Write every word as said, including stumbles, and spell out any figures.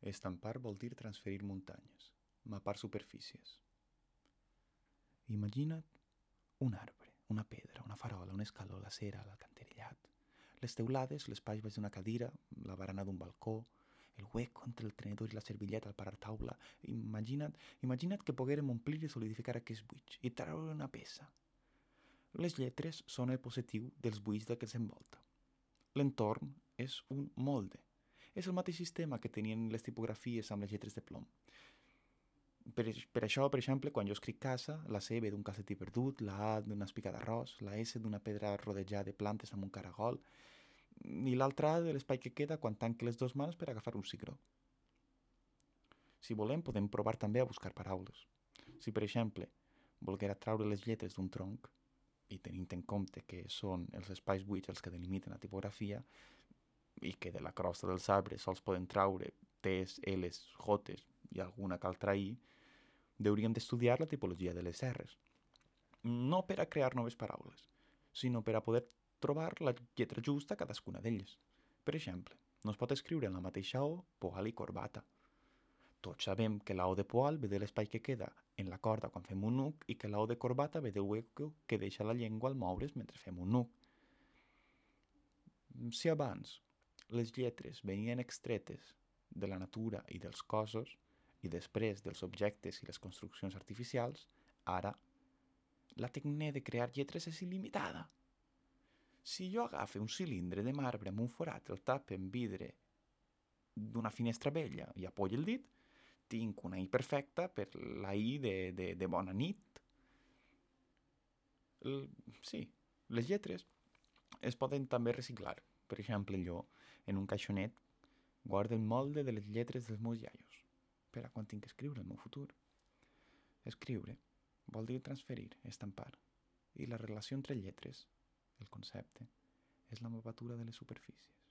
Estampar vol dir transferir muntanyes, mapar superfícies. Imagina't un arbre, una pedra, una farola, un escaló, la cera, l'alcantarillat, les teulades, l'espai baix d'una cadira, la barana d'un balcó, el hueco entre el tenedor i la servilleta al parar taula. Imagina't, imagina't que poguérem omplir i solidificar aquests buits i treure una peça. Les lletres són el possessiu dels buits del que s'envolta. L'entorn és un molde. És el mateix sistema que tenien les tipografies amb les lletres de plom. Per, per això, per exemple, quan jo escric casa, la C ve d'un calcetí perdut, la A d'una espiga d'arròs, la S d'una pedra rodejada de plantes amb un caragol, i l'altra A de l'espai que queda quan tanque les dues mans per agafar un cigró. Si volem, podem provar també a buscar paraules. Si, per exemple, volguera traure les lletres d'un tronc, i tenint en compte que són els espais buits els que delimiten la tipografia, i que de la crosta dels arbres sols poden traure T's, L's, J's i alguna altra I, hauríem d'estudiar la tipologia de les R's. No per a crear noves paraules, sinó per a poder trobar la lletra justa a cadascuna d'elles. Per exemple, no es pot escriure en la mateixa O poal i corbata. Tots sabem que la O de poal ve de l'espai que queda en la corda quan fem un nuc i que la O de corbata ve del hueco que deixa la llengua al moure's mentre fem un nuc. Si abans les lletres venien extretes de la natura i dels cossos i després dels objectes i les construccions artificials, ara la tècnica de crear lletres és il·limitada. Si jo agafe un cilindre de marbre amb un forat, el tape amb vidre d'una finestra vella i apoyo el dit, tinc una I perfecta per la I de, de, de bona nit. El, sí, les lletres es poden també reciclar. Per exemple, jo, en un caixonet, guardo el molde de les lletres dels meus iaios per a quan tinc que escriure el meu futur. Escriure vol dir transferir, estampar. I la relació entre lletres, el concepte, és la mapatura de les superfícies.